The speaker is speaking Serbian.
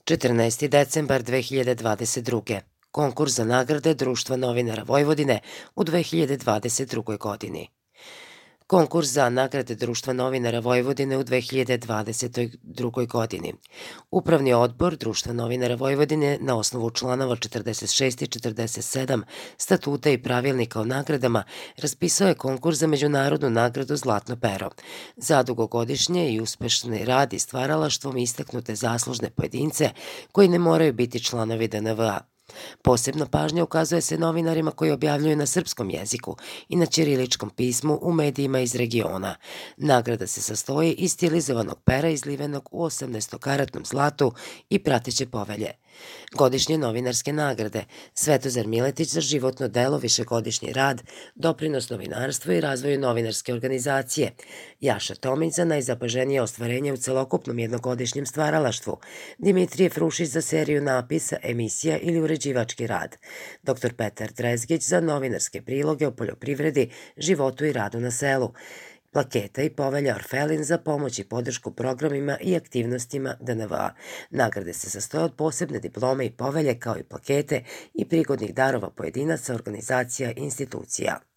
14. decembar 2022. Konkurs za nagrade Društva novinara Vojvodine u 2022. godini. Konkurs za nagrade Društva novinara Vojvodine u 2022. godini. Upravni odbor Društva novinara Vojvodine na osnovu članova 46 i 47 statuta i pravilnika o nagradama raspisao je konkurs za međunarodnu nagradu Zlatno pero za dugogodišnje i uspešni rad i stvaralaštvom istaknute zaslužne pojedince koji ne moraju biti članovi DNVA. Posebna pažnja ukazuje se novinarima koji objavljuju na srpskom jeziku i na ćiriličkom pismu u medijima iz regiona. Nagrada se sastoji iz stilizovanog pera izlivenog u 18-karatnom zlatu i prateće povelje. Godišnje novinarske nagrade Svetozar Miletić za životno delo, višegodišnji rad, doprinos novinarstvu i razvoju novinarske organizacije, Jaša Tomić za najzapaženije ostvarenje u celokupnom jednogodišnjem stvaralaštvu, Dimitrije Frušić za seriju napisa, emisija ili uređivački rad, dr. Petar Drezgić za novinarske priloge o poljoprivredi, životu i radu na selu, plaketa i povelja Orfelin za pomoć i podršku programima i aktivnostima DNVA. Nagrade se sastoje od posebne diplome i povelje kao i plakete i prigodnih darova pojedinaca, organizacija i institucija.